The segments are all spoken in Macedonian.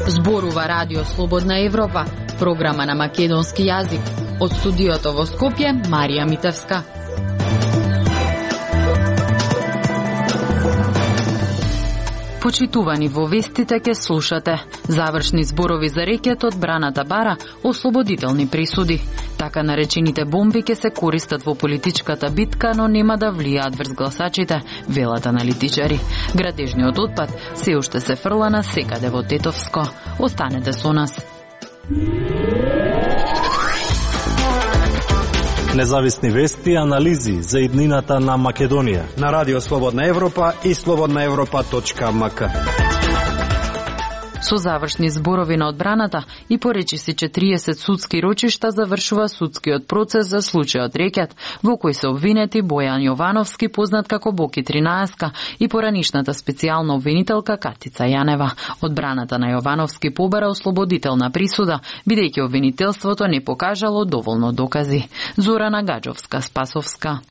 Зборува Радио Слободна Европа, програма на македонски јазик. Од студиото во Скопје, Марија Митевска. Почитувани, во вестите ке слушате завршни зборови за рекет од Браната Бара, ослободителни присуди. Така наречените бомби ке се користат во политичката битка, но нема да влијаат врз гласачите, велат аналитичари. Градежниот отпад се уште се фрла на секаде во Тетовско. Останете со нас. Независни вести и анализи за иднината на Македонија на Радио Слободна Европа и slobodnaevropa.mk. Со завршни зборови на одбраната и поречиси 40 судски рочишта завршува судскиот процес за случајот Рекет, во кој се обвинети Бојан Јовановски, познат како Боки 13, и поранишната специјална обвинителка Катица Јанева. Одбраната на Јовановски побара ослободителна присуда, бидејќи обвинителството не покажало доволно докази. Зорана Гаджовска-Спасовска.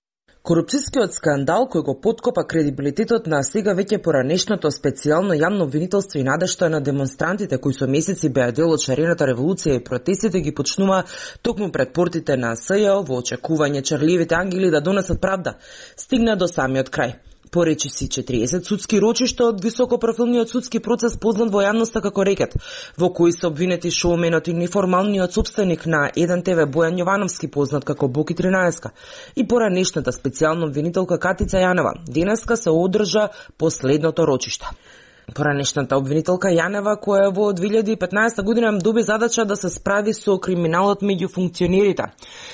Корупцијскиот скандал кој го поткопа кредибилитетот на сега веќе поранешното специјално јавно обвинителство и надежта на демонстрантите кои со месеци беа дел од шарената револуција и протестите ги почнува токму пред портите на СЈО во очекување чарливите ангели да донесат правда, стигна до самиот крај. Поречиси 40 судски рочишта од високопрофилниот судски процес познат во јавноста како Рекет, во кои се обвинети шоуменот и неформалниот собственик на 1 ТВ Бојан Јовановски, познат како Боки 13, и поранешната специјална обвинителка Катица Јанева. Денеска се одржа последното рочиште. Поранешната обвинителка Јанева, која во 2015 година доби задача да се справи со криминалот меѓу функционерите,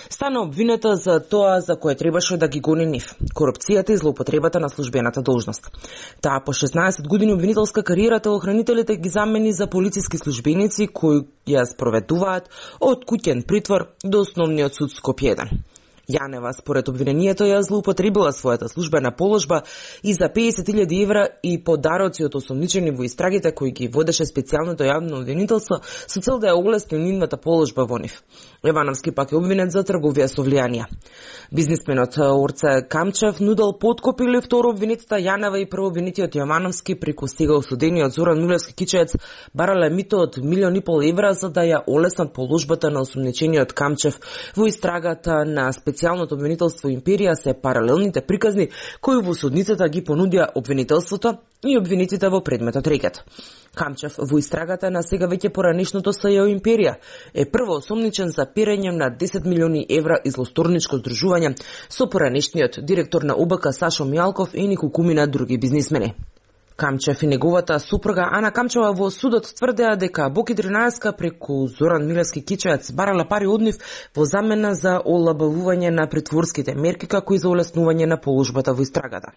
стана обвинета за тоа за кое требаше да ги гони нив – корупцијата и злоупотребата на службената должност. Таа по 16 години обвинителска кариера телохранителите ги замени за полициски службеници кои ја спроведуваат од куќен притвор до основниот суд Скопје 1. Јанева, според обвинението, ја злоупотребила својата службена положба и за 50.000 евра и подароци од осомничени во истрагите кои ги водеше специјалното јавно обвинителство со цел да ја олесни нивната положба во нив. Јовановски пак е обвинет за трговија со влијанија. Бизнисменот Орце Камчев нудел подкоп или второ обвинетата Јанева и прво обвинетиот Јовановски преку сега осудениот Зоран Милевски Кичеец барале мито од 1,5 милиони евра за да ја олеснат положбата на осомничениот Камчев. Во истрагата на специјалното обвинителство Империја се паралелните приказни кои во судницата ги понудија обвинителството и обвинетите во предметот Рекет. Камчев во истрагата на сега веќе поранешното СЈО Империја е прво осомничен за перење на 10 милиони евра излосторничко здружување со поранешниот директор на ОБК Сашо Мијалков и неколкумина други бизнисмени. Камчев и неговата супруга Ана Камчева во судот тврдеа дека Боки 13 преку Зоран Милевски Кичеец барала пари од нив во замена за олабавување на притворските мерки како и за олеснување на положбата во истрагата.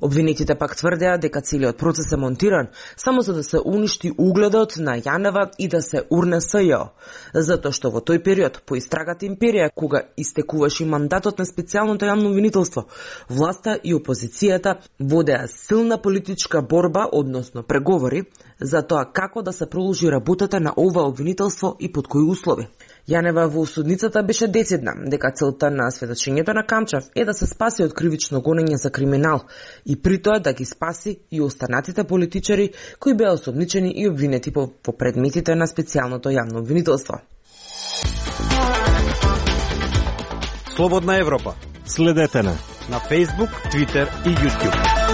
Обвинетите пак тврдеа дека целиот процес е монтиран само за да се уништи угледот на Јанева и да се урне СЈО, затоа што во тој период по истрагата Империја, кога истекуваше мандатот на специјалното јавно обвинителство, власта и опозицијата водеа силна политичка борба, односно преговори, за тоа како да се продолжи работата на ова обвинителство и под кои услови. Јанева во судницата беше децидна дека целта на сведочењето на Камчев е да се спаси од кривично гонење за криминал и при тоа да ги спаси и останатите политичари кои беа осомничени и обвинети по предметите на специјалното јавно обвинителство. Слободна Европа. Следете на Facebook, Twitter и YouTube.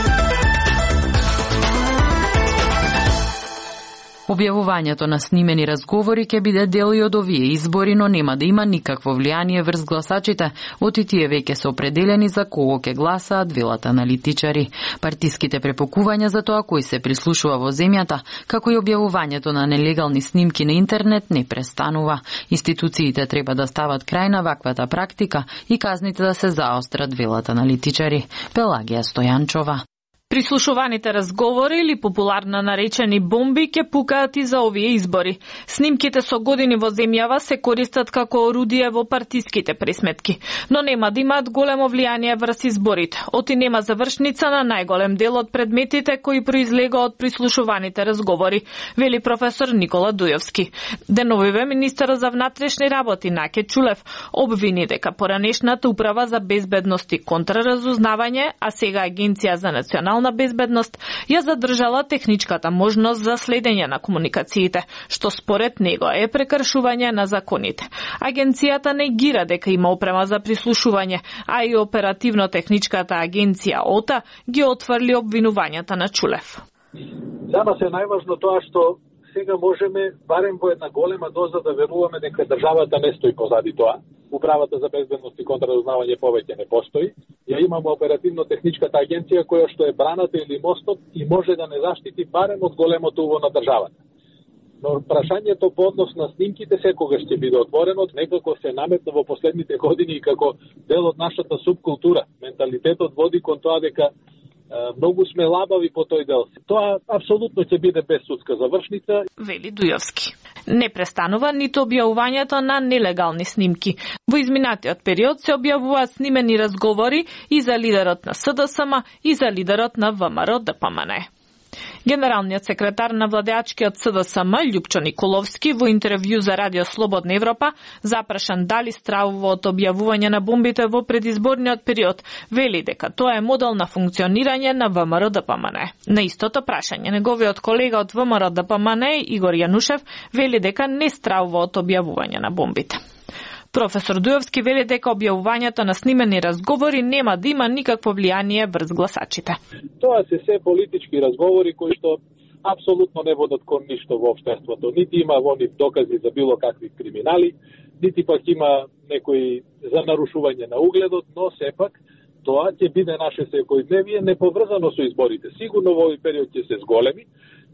Објавувањето на снимени разговори ќе биде дел и од овие избори, но нема да има никакво влијание врз гласачите, оти тие веќе се определени за кого ќе гласаат, велат аналитичари. Партиските препокувања за тоа кој се прислушува во земјата, како и објавувањето на нелегални снимки на интернет не престанува. Институциите треба да стават крај на ваквата практика и казните да се заострат, велат аналитичари. Пелагија Стојанчова. Прислушуваните разговори или популарно наречени бомби ќе пукаат и за овие избори. Снимките со години во земјава се користат како орудие во партиските пресметки, но нема да имаат големо влијание врз изборите. Оти нема завршница на најголем дел од предметите кои произлега од прислушуваните разговори, вели професор Никола Дујовски. Деновиве министерот за внатрешни работи Наке Чулев обвини дека поранешната управа за безбедност и контраразузнавање, а сега Агенција за национална безбедност ја задржала техничката можност за следење на комуникациите, што според него е прекршување на законите. Агенцијата негира дека има опрема за прислушување, а и оперативно-техничката агенција ОТА ги отфрли обвинувањата на Чулев. За нас е најважно тоа што сега можеме барем во една голема доза да веруваме дека државата не стои позади тоа. Управата за безбедност и контраразузнавање повеќе не постои. Ја имаме оперативно-техничката агенција која што е браната или мостот и може да не заштити барем од големото уво на државата. Но прашањето по однос на снимките секогаш ќе биде отворено, некако се наметна во последните години и како дел од нашата субкултура. Менталитетот води кон тоа дека многу сме лабави по тој дел. Тоа апсолутно ќе биде без судска завршница. Вели Дујовски. Не престанува ниту објавувањето на нелегални снимки. Во изминатиот период се објавуваат снимени разговори и за лидерот на СДСМ и за лидерот на ВМРО-ДПМН. Генералниот секретар на владеачкиот СДСМ Љупчо Николовски во интервју за Радио Слободна Европа запрашан дали стравува од објавување на бомбите во предизборниот период, вели дека тоа е модел на функционирање на ВМРО-ДПМН. На истото прашање неговиот колега од ВМРО-ДПМН Игор Јанушев вели дека не стравува од објавување на бомбите. Професор Дујовски вели дека објавувањето на снимени разговори нема да има никакво влијание врз гласачите. Тоа се политички разговори кои што апсолутно не водат кон ништо во општеството. Нити има во нив докази за било какви криминали, нити пак има некои за нарушување на угледот, но сепак тоа ќе биде наше секојдневие неповрзано со изборите. Сигурно во овој период ќе се зголеми,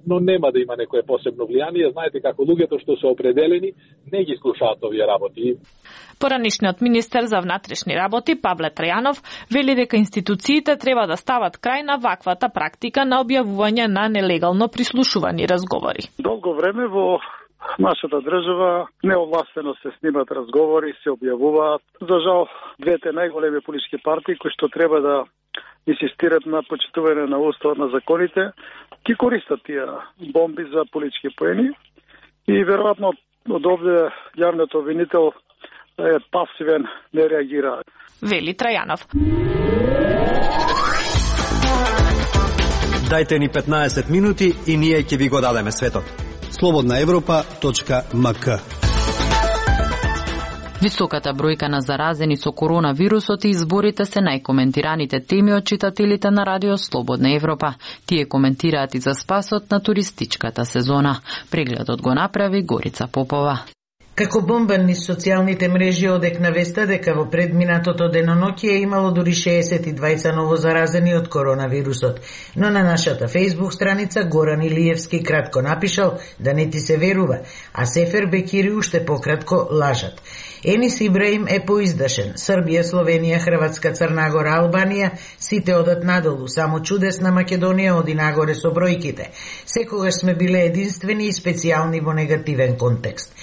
но нема да има некое посебно влијание. Знаете како луѓето што се определени не ги слушаат овие работи. Поранишниот министер за внатрешни работи Павле Трајанов вели дека институциите треба да стават крај на ваквата практика на објавување на нелегално прислушувани разговори. Долго време во нашата држава неовластено се снимат разговори, се објавуваат. За жал, двете најголеми политички партии кои што треба да инсистират на почитување на уставот на законите, ги користат тие бомби за политички поени и веројатно од овде јавниот обвинител е пасивен, не реагира. Вели Трајанов. Дајте ни 15 минути и ние ќе ви го дадеме светот. slobodnaevropa.mk. Високата бројка на заразени со коронавирусот и изборите се најкоментираните теми од читателите на Радио Слободна Европа. Тие коментираат и за спасот на туристичката сезона. Прегледот го направи Горица Попова. Како бомбан низ социјалните мрежи одекна веста дека во предминатото деноноќие е имало дури 62 ново заразени од коронавирусот. Но на нашата Facebook страница Горан Илиевски кратко напишал да не ти се верува, а Сефер Бекири уште пократко лажат. Енис Ибраим е поиздашен. Србија, Словенија, Хрватска, Црна Гора, Албанија, сите одат надолу, само чудесна Македонија оди нагоре со бројките. Секогаш сме биле единствени и специјални во негативен контекст.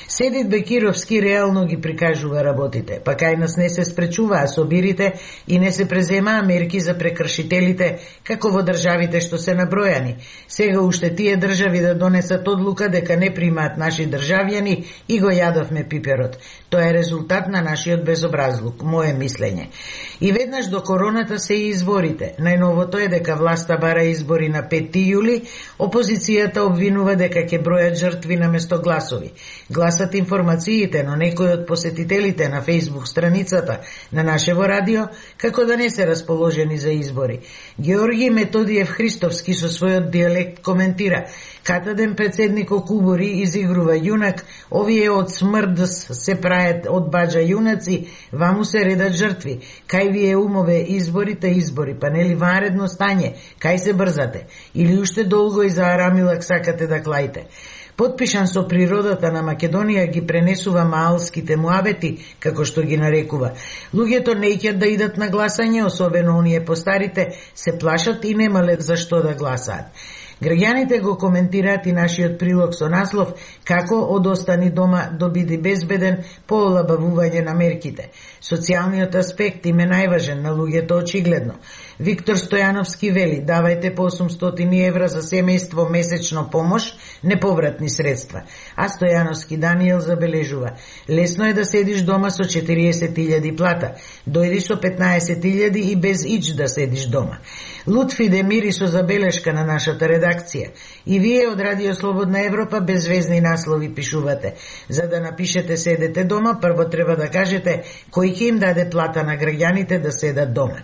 Седит Бекировски реално ги прикажува работите, па кај нас не се спречуваа собирите и не се преземаа мерки за прекршителите, како во државите што се набројани. Сега уште тие држави да донесат одлука дека не примаат наши државјани и го јадовме пиперот. Тоа е резултат на нашиот безобразлук, мое мислење. И веднаш до короната се и изборите. Најновото е дека власта бара избори на 5 јули, опозицијата обвинува дека ќе бројат жртви наместо гласови. Гласат информациите, но некои од посетителите на Facebook страницата на нашево радио како да не се расположени за избори. Георги Методиев Христовски со својот дијалект коментира: катаден председник Кубури изигрува јунак, овие од смрдс се прајат од баџа јунаци, ваму се редат жртви. Кај ви е умове изборите избори, па нели ванредно стање, кај се брзате? Или уште долго и за арамилак сакате да клаите? Потпишан со природата на Македонија ги пренесува маалските муабети, како што ги нарекува. Луѓето неќат да идат на гласање, особено оние постарите, се плашат и немале за што да гласаат. Граѓаните го коментираат и нашиот прилог со наслов како од остани дома до биди безбеден по олабавување на мерките. Социјалниот аспект им е најважен на луѓето очигледно. Виктор Стојановски вели, давајте по 800 евра за семејство месечно помош, неповратни средства. А Стојановски Даниел забележува, лесно е да седиш дома со 40.000 плата, дојди со 15.000 и без ич да седиш дома. Лутфи Демири со забелешка на нашата редакција. И вие од Радио Слободна Европа безвезни наслови пишувате. За да напишете седете дома, прво треба да кажете кој ќе им даде плата на граѓаните да седат дома.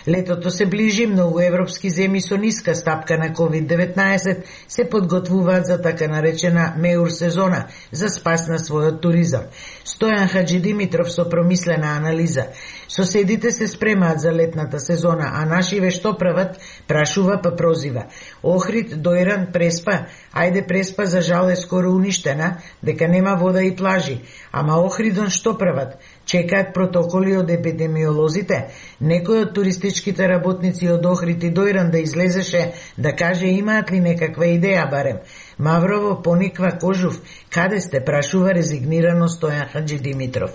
Летото се ближи, многу европски земји со ниска стапка на COVID-19 се подготвуваат за така наречена меур сезона за спас на својот туризам. Стојан Хаджи Димитров со промислена анализа. Соседите се спремаат за летната сезона, а нашиве што прават? Прашува па прозива. Охрид, Дојран, Преспа. Ајде Преспа за жал е скоро уништена, дека нема вода и плажи. Ама Охридон што прават? Чекаат протоколи од епидемиолозите. Некој од туристичките работници од Охрид и Дојран да излезеше да каже имаат ли некаква идеја барем. Маврово пониква Кожув. Каде сте? Прашува резигнирано Стојан Хаджи Димитров.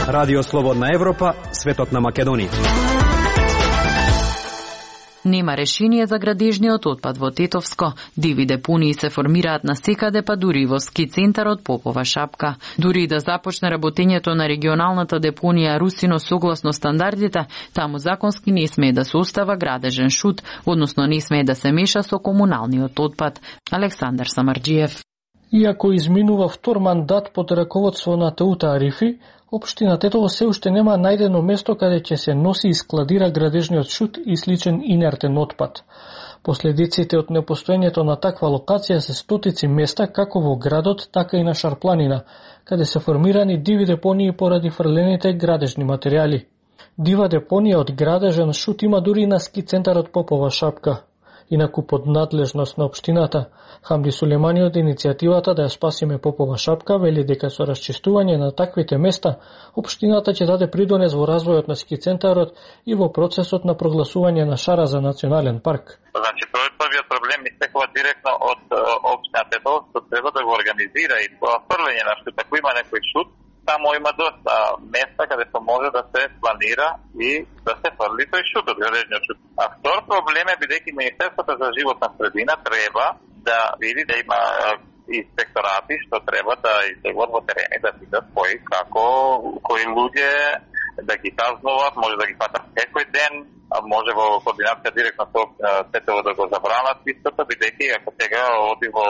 Радио Слободна Европа, светот на Македонија. Нема решение за градежниот отпад во Тетовско. Диви депонии се формираат насекаде, па дури и во ски центарот Попова шапка. Дури и да започне работењето на регионалната депонија Русино согласно стандардите, таму законски не смее да се остава градежен шут, односно не смее да се меша со комуналниот отпад. Александар Самарџиев. Иако изминува втор мандат под раководство на Теута Арифи, Општина Тетово се уште нема најдено место каде ќе се носи и складира градежниот шут и сличен инертен отпад. Последиците од непостоењето на таква локација се стотици места како во градот, така и на Шарпланина, каде се формирани диви депонии поради фрлените градежни материјали. Дива депонија од градежен шут има дури и на ски центарот Попова шапка. Инаку под надлежност на општината, Хамди Сулемани од иницијативата да ја спасиме Попова шапка вели дека со расчистување на таквите места, општината ќе даде придонес во развојот на ски центарот и во процесот на прогласување на Шара за национален парк. Значи, првиот проблем истекува директно од општината Тетово, што треба да го организира и тоа фрлење на шут. Ако има некој шут, само има доста места каде се може да се планира и да се фрли тој шут од градежниот шут. А втор проблем е бидејќи Министерството за животна средина треба да види да има инспекторати што треба да излегуват во терени да видат кои луѓе да ги казнуват, може да ги фатат секој ден, а може во координација директно со Тетово да го забранат истото, бидејќи ако сега оди во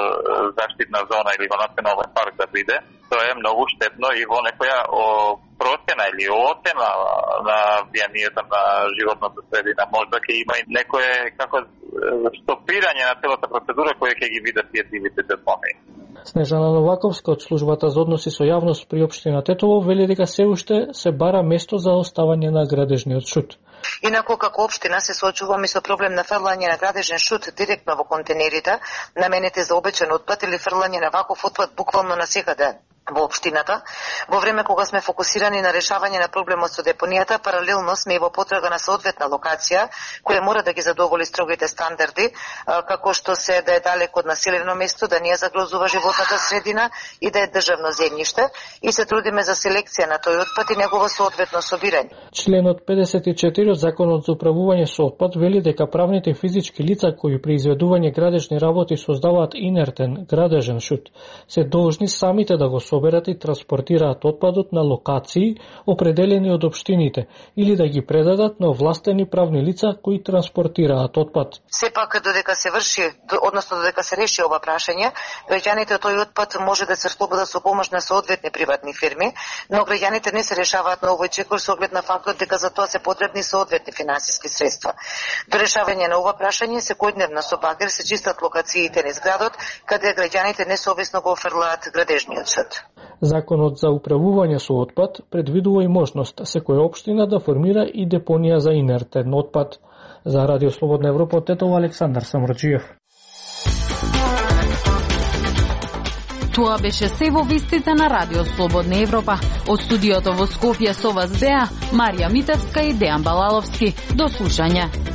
заштитна зона или во национален парк да биде, тоа е многу штетно и во некоја процена или оцена на влијанието на животната средина. Можда ќе има и некое како стопирање на целата процедура која ќе ги видат тие дивите депонии. Снежана Новаковска од службата за односи со јавност при општина Тетово вели дека се уште се бара место за оставање на градежниот шут. Инаку како општина се соочуваме со проблем на фрлање на градежен шут директно во контейнерите, наменети за обичен отпад или фрлање на ваков отпад буквално насекаде во општината. Во време кога сме фокусирани на решавање на проблемот со депонијата, паралелно сме и во потрага на соодветна локација, која мора да ги задоволи строгите стандарди, како што се да е далеко од населено место, да не ја загрозува животната средина и да е државно земјиште, и се трудиме за селекција на тој отпад и негово соодветно собирање. Членот 54 од Законот за управување со отпад вели дека правните физички лица кои при изведување градежни работи создаваат инертен градежен шут се должни самите да го соберат и транспортираат отпадот на локации определени од општините или да ги предадат на овластени правни лица кои транспортираат отпад. Сепак додека се врши, односно додека се реши ова прашање, граѓаните тој отпад може да се слободат со помош на соодветни приватни фирми, но граѓаните не се решаваат на овој чекор со оглед на фактот дека за тоа се потребни соодветни финансиски средства. До решавање на ова прашање секојдневно со багер се чистат локациите низ градот каде граѓаните несовесно го офрлаат градежниот шут. Законот за управување со отпад предвидува и можност секоја општина да формира и депонија за инертен отпад. За Радио Слободна Европа од Тетово Александар Самарџиев. Тоа беше се во вестите на Радио Слободна Европа. Од студиото во Скопје со вас беа Марија Митевска и Дејан Балаловски. До слушање.